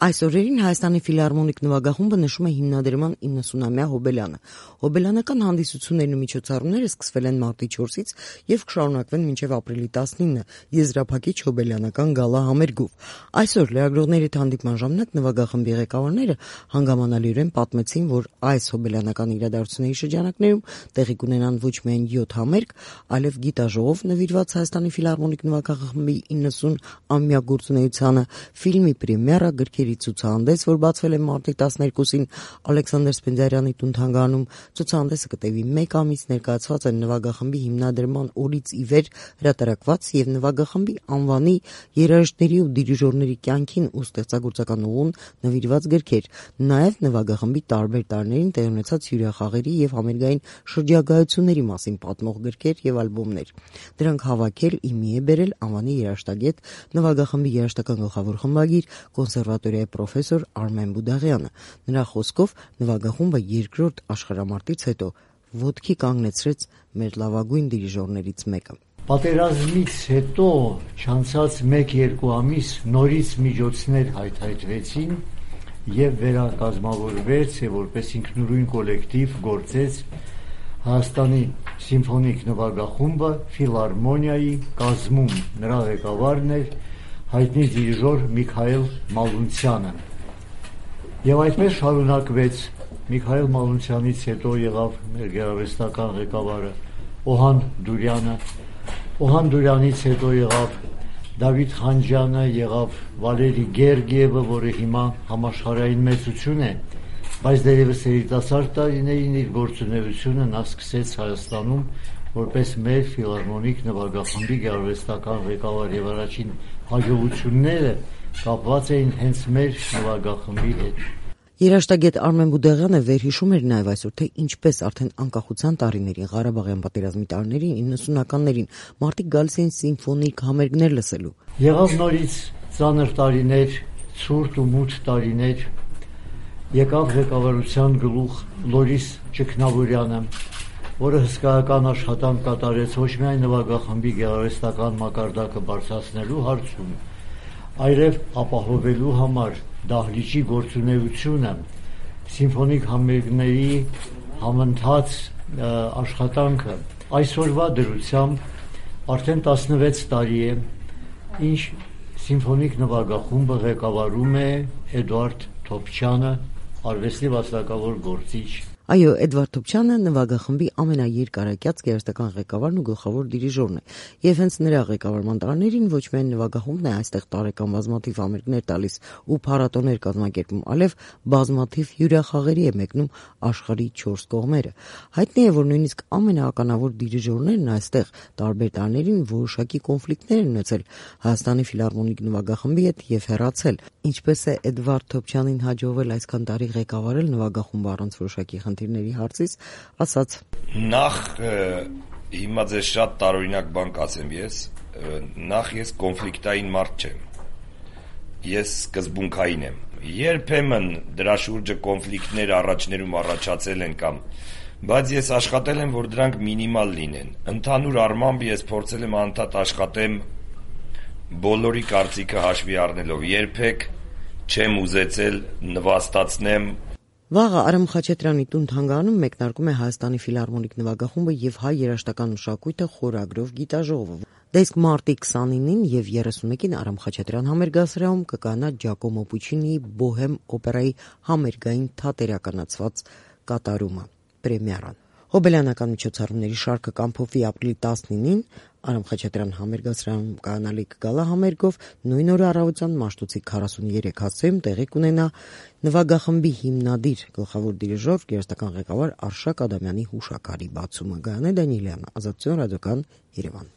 Այս օրերին Հայաստանի ֆիլհարմոնիկ նվագախումբը նշում է հիմնադրման 90-ամյա հոբելյանը։ Հոբելյանական հանդիսություններն ու միջոցառումները սկսվել են մարտի 4-ից եւ կշարունակվեն մինչեւ ապրիլի 19-ը եզրափակիչ հոբելյանական գալա համերգով։ Այսօր լրագրողների հետ հանդիպման ժամանակ նվագախմբի ղեկավարները հանգամանալիորեն պատմեցին, որ այս հոբելյանական իրադարձությունների շրջանակներում տեղի կունենան ոչ միայն 7 համերգ, այլև գիտաժողով նվիրված Հայաստանի ֆիլհարմոնիկ նվագախմբի 90-ամյա գործունեությանը, ֆիլմի պրեմիերա, գրքերի ցուցահանդես, որ բացվել է մարտի 12-ին Ալեքսանդր Սպենդիարյանի տուն-թանգարանում։ Ցուցահանդեսը կտևի 1 ամիս, ներկայացված են նվագախմբի հիմնադրման օրից ի վեր հրատարակված եւ նվագախմբի անվանի, երաժիշտների ու դիրիժորների կյանքին ու ստեղծագործական ուղուն նվիրված գրքեր, նաեւ նվագախմբի տարբեր տարիներին տեղի ունեցած հյուրախաղերի եւ համերգային շրջագայությունների մասին պատմող գրքեր եւ ալբոմներ։ Դրանք հավաքել իմի է բերել անվանի երաժշտագետ, նվագախմբի երաժշտական գլխավոր խմբագիր, կոնսերվատորիայի պրոֆեսոր Արմեն Բուդաղյանը։ Նրա խոսքով նվագախումբը երկրորդ աշխարհամարտից հետո ոտքի կանգնեցրեց մեր լավագույն դիրիժորներից մեկը։ Պատերազմից հետո չանցած 1-2 ամիս նորից միջոցներ հայթայթվեցին եւ վերակազմավորվեց եւ որպես ինքնուրույն կոլեկտիվ գործեց Հայաստանի սիմֆոնիկ նվագախումբը ֆիլհարմոնիայի կազմում։ Նրա ղեկավարն էր հայտնի դիրիժոր Միքայել Մալունցյանը։ Եվ այդպես շարունակվեց։ Միքայել Մալունցյանից հետո եղավ մեր գեղարվեստական ղեկավարը Օհան Դուրյանը։ Օհան Դուրյանից հետո եղավ Դավիթ Խանջյանը, եղավ Վալերի Գերգիևը, որը հիմա համաշխարհային մեծություն է, բայց դեռևս երիտասարդ տարիներին իր գործունեությունը նա սկսեց Հայաստանում որպես մեր ֆիլհարմոնիկ նվագախմբի գեղարվեստական ղեկավար եւ առաջին հաջողությունները կապված էին հենց մեր նվագախմբի հետ։ Երաժշտագետ Արմեն Բուդաղյանը վերհիշում էր նաև այսօր, թե ինչպես արդեն անկախության տարիներին, Ղարաբաղյան պատերազմի տարիներին, 90-ականներին մարդիկ գալիս էին սիմֆոնիկ համերգներ լսելու։ Եղավ նորից ծանր տարիներ, ցուրտ ու մութ տարիներ, եկավ ղեկավարության գլուխ Լորիս Ճգնավորյանը, որը հսկայական աշխատանք կատարեց ոչ միայն նվագախմբի գեղարվեստական մակարդակը բարձրացնելու հարցում, այլև ապահովելու համար դահլիճի գործունեությունը, սիմֆոնիկ համերգների համընթաց աշխատանքը։ Այսօրվա դրությամբ արդեն 16 տարի է, ինչ սիմֆոնիկ նվագախումբը ղեկավարում է Էդուարդ Թոփչյանը, արվեստի վաստակավոր գործիչ։ Այո, Էդվարդ Թոփչյանը նվագախմբի ամենաերկարակյաց գեղարվեստական ղեկավարն ու գլխավոր դիրիժորն է, եւ հենց նրա ղեկավարման տարիներին ոչ միայն նվագախումբն է այստեղ տարեկան բազմաթիվ համերգներ տալիս ու փառատոներ կազմակերպում, այլև բազմաթիվ հյուրախաղերի է մեկնում աշխարհի 4 կողմերը։ Հայտնի է, որ նույնիսկ ամենաականավոր դիրիժորներն այստեղ տարբեր տարիներին որոշակի կոնֆլիկտներ են ունեցել Հայաստանի ֆիլհարմոնիկ նվագախմբի հետ եւ հեռացել։ Ինչպես է Էդվարդ Թոփչյանին հաջողվել այսքան տարի ղեկավարել նվագախումբը առանց որոշակի խնդիրների հարցից, ասաց. Նախ հիմա ձեզ շատ տարօրինակ բան կասեմ ես, նախ ես կոնֆլիկտային մարդ չեմ, ես սկզբունքային եմ, երբեմն դրա շուրջը կոնֆլիկտներ առաջներում առաջացել են կամ, բայց ես աշխատել եմ, որ դրանք մինիմալ լինեն, ընդհանուր առմամբ ես փորձել եմ անդադ աշխատեմ բոլորի կարծիքը հաշվի առնելով, երբեք չեմ ուզեցել նվաստացնեմ։ Վաղը Արամ Խաչատրյանի տուն-թանգարանում մեկնարկում է Հայաստանի ֆիլհարմոնիկ նվագախումբը եւ հայ երաժշտական մշակույթը խորագրով գիտաժողովը։ Դա իսկ մարտի 29-ին եւ 31-ին Արամ Խաչատրյան համերգասրահում կկայանա Ջակոմո Պուչինիի Բոհեմ օպերայի համերգային թատերականացված կատարումը, պրեմիերան։ Հոբելյանական միջոցառումների շարքը կամփոփվի ապրիլի 19-ին Արամ Խաչատրյան համերգասրահում կայանալիք գալա համերգով, նույն օրը առավոտյան Մաշտոցի 43 հացոյում տեղի կունենա նվագախմբի հիմնադիր գլխավոր դիրիժոր, գեղարվեստական ղեկավար Արշակ Ադամյանի հուշաքարի բացումը։ Գայանե Դանիելյան, Ազատություն ռադիոկան, Երևան։